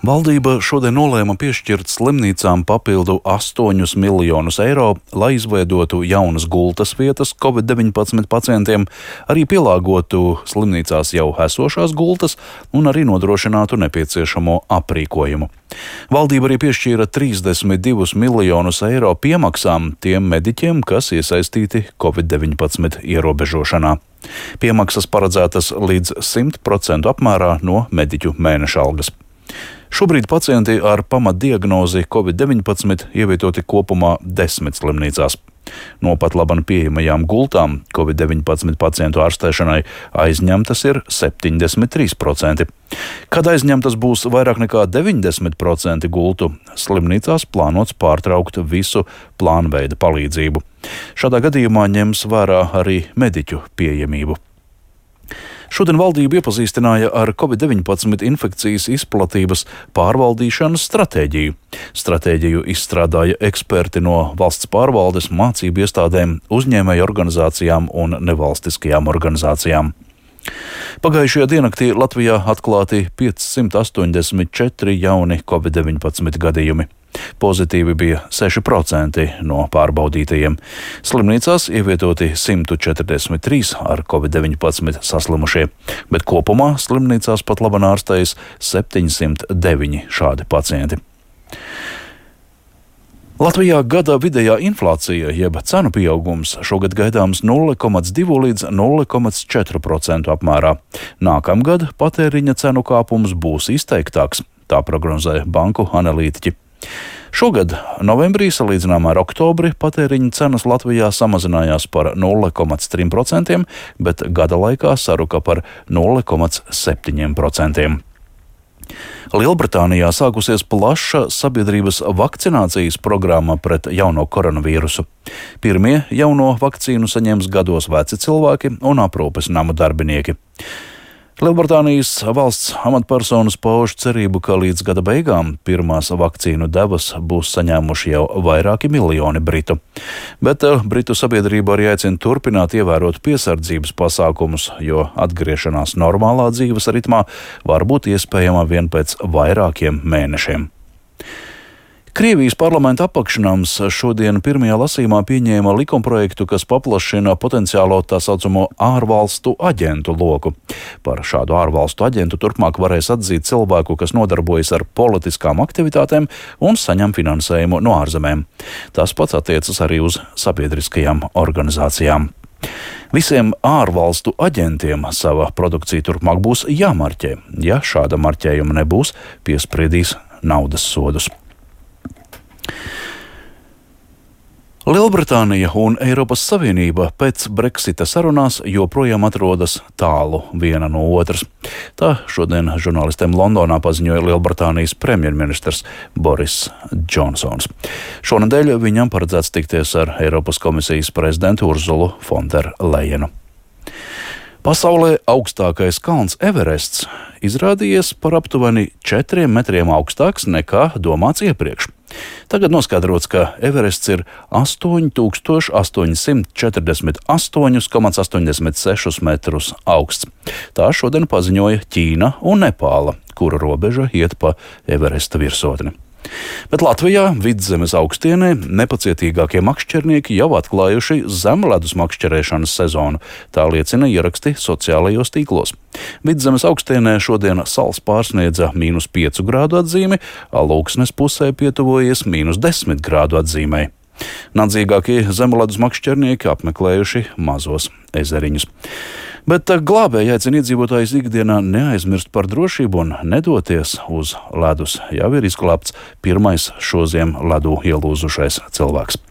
Valdība šodien nolēma piešķirt slimnīcām papildu 8 miljonus eiro, lai izveidotu jaunas gultas vietas Covid-19 pacientiem, arī pielāgotu slimnīcās jau esošās gultas un arī nodrošinātu nepieciešamo aprīkojumu. Valdība arī piešķīra 32 miljonus eiro piemaksām tiem mediķiem, kas iesaistīti Covid-19 ierobežošanā. Piemaksas paredzētas līdz 100% apmērā no mediķu mēneša algas. Šobrīd pacienti ar pamatdiagnozi Covid-19 ievietoti kopumā 10 slimnīcās. No pat labi pieejamajām gultām Covid-19 pacientu ārstēšanai aizņemtas ir 73%. Kad aizņemtas būs vairāk nekā 90% gultu, slimnīcās plānots pārtraukt visu plānveida palīdzību. Šādā gadījumā ņems vērā arī mediķu pieejamību. Šodien valdība iepazīstināja ar Covid-19 infekcijas izplatības pārvaldīšanas stratēģiju. Stratēģiju izstrādāja eksperti no valsts pārvaldes, mācību iestādēm, uzņēmēju organizācijām un nevalstiskajām organizācijām. Pagājušajā diennaktī Latvijā atklāti 584 jauni Covid-19 gadījumi. Pozitīvi bija 6% no pārbaudītajiem. Slimnīcās ievietoti 143 ar Covid-19 saslimušie, bet kopumā slimnīcās pat labi ārstējas 709 šādi pacienti. Latvijā gada vidējā inflācija, jeb cenu pieaugums, šogad gaidāms 0,2 līdz 0,4% apmērā. Nākamgad patēriņa cenu kāpums būs izteiktāks, tā prognozē banku analītiķi. Šogad novembrī salīdzinājumā ar oktobri patēriņa cenas Latvijā samazinājās par 0,3%, bet gada laikā saruka par 0,7%. Lielbritānijā sākusies plaša sabiedrības vakcinācijas programma pret jauno koronavīrusu. Pirmie jauno vakcīnu saņems gados veci cilvēki un aprūpes namu darbinieki. Lielbritānijas valsts amatpersonas pauž cerību, ka līdz gada beigām pirmās vakcīnu devas būs saņēmuši jau vairāki miljoni britu. Bet britu sabiedrība arī aicina turpināt ievērot piesardzības pasākumus, jo atgriešanās normālā dzīves ritmā var būt iespējama vien pēc vairākiem mēnešiem. Krievijas parlamenta apakšnams šodien pirmajā lasījumā pieņēma likumprojektu, kas paplašina potenciālo tā saucamo ārvalstu aģentu loku. Par šādu ārvalstu aģentu turpmāk varēs atzīt cilvēku, kas nodarbojas ar politiskām aktivitātēm un saņem finansējumu no ārzemēm. Tas pats attiecas arī uz sabiedriskajām organizācijām. Visiem ārvalstu aģentiem sava produkcija turpmāk būs jāmarķē. Ja šāda marķējuma nebūs, piespriedīs naudas sodus. Lielbritānija un Eiropas Savienība pēc Brexita sarunās joprojām atrodas tālu viena no otras. Tā šodien žurnālistiem Londonā paziņoja Lielbritānijas premjerministrs Boris Džonsons. Šonedēļ viņam paredzēts tikties ar Eiropas komisijas prezidentu Urzulu Fonderlejenu. Pasaulē augstākais kalns Everests izrādījies par aptuveni 4 metriem augstāks nekā domāts iepriekš. Tagad noskaidrots, ka Everests ir 8848,86 metrus augsts. Tā šodien paziņoja Ķīna un Nepāla, kura robeža iet pa Everesta virsotni. Bet Latvijā Vidzemes augstienē nepacietīgākie makšķernieki jau atklājuši zemledus makšķerēšanas sezonu. Tā liecina ieraksti sociālajos tīklos. Vidzemes augstienē šodien sals pārsniedza -5 grādu atzīmi, Alūksnes pusē pietuvojies -10 grādu atzīmei. Nadzīgākie zemledus makšķernieki apmeklējuši mazos ezeriņus. Bet glābēji aicina iedzīvotājus ikdienā neaizmirst par drošību un nedoties uz ledus. Jau ir izglābts pirmais šoziem ledū ielūzušais cilvēks.